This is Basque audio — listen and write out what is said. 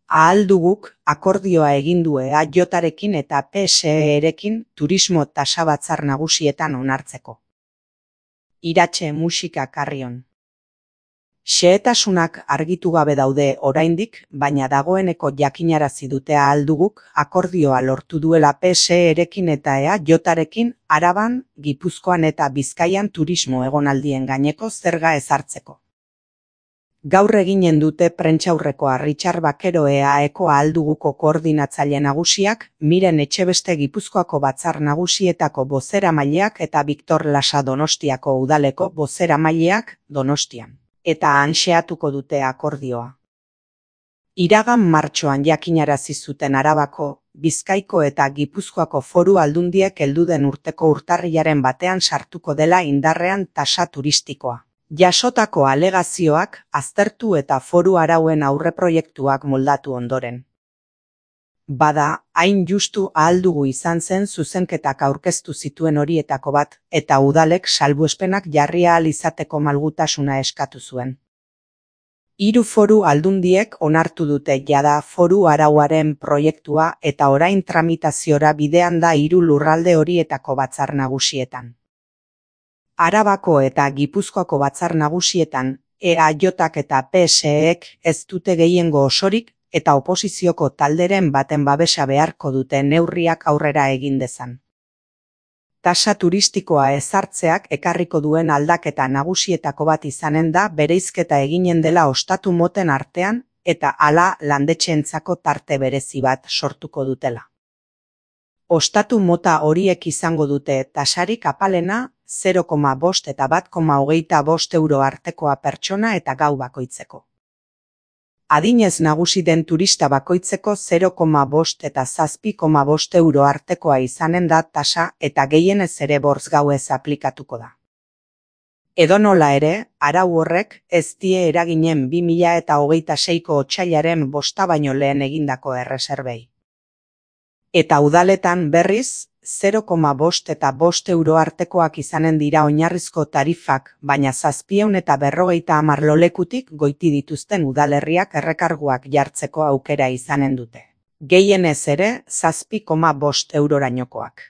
Ahalduguk akordioa egin du EAJarekin eta PSE-rekin turismo tasa batzar nagusietan onartzeko. Iratxe musika Carrion. Xehetasunak argitu gabe daude oraindik, baina dagoeneko jakinarazi dute Ahalduguk akordioa lortu duela PSE-rekin eta EAJarekin Araban, Gipuzkoan eta Bizkaian turismo egonaldien gaineko zerga ezartzeko. Gaur eginen dute prentsaurrekoa Richard Bakero EAEko Ahalduguko koordinatzaile nagusiak, Miren Etxebeste Gipuzkoako batzar nagusietako bozeramaileak eta Victor Lasa Donostiako udaleko bozeramaileak Donostian. Eta han xehatuko dute akordioa. Iragan martxoan jakinarazi zuten Arabako, Bizkaiko eta Gipuzkoako foru aldundiek heldu den urteko urtarrilaren batean sartuko dela indarrean tasa turistikoa. Jasotako alegazioak aztertu eta foru arauen aurreproiektuak moldatu ondoren. Bada, hain justu Ahaldugu izan zen zuzenketak aurkeztu zituen horietako bat, eta udalek salbuespenak jarri ahal izateko malgutasuna eskatu zuen. 3 foru aldundiek onartu dute jada foru arauaren proiektua eta orain tramitaziora bidean da 3 lurralde horietako batzar nagusietan. Arabako eta Gipuzkoako batzar nagusietan, EAJak eta PSEek ez dute gehiengo osorik eta oposizioko talderen baten babesa beharko dute neurriak aurrera egin dezan. Tasa turistikoa ezartzeak ekarriko duen aldaketa nagusietako bat izanen da bereizketa eginen dela ostatu moten artean eta hala landetxeentzako tarte berezi bat sortuko dutela. Ostatu mota horiek izango dute tasarik apalena 0,5 eta 1,25 euro artekoa pertsona eta gau bakoitzeko. Adinez nagusi den turista bakoitzeko 0,5 eta 7,5 euro artekoa izanen da tasa eta gehienez ere 5 gauez aplikatuko da. Edonola ere, arau horrek ez die eraginen 2026ko otsailaren 5 baino lehen egindako erreserbei. Eta udaletan berriz, 0,5 eta 5 euro artekoak izanen dira oinarrizko tarifak, baina 750 lolekutik goiti dituzten udalerriak errekarguak jartzeko aukera izanen dute. Gehienez ere 7,5 eurorainokoak.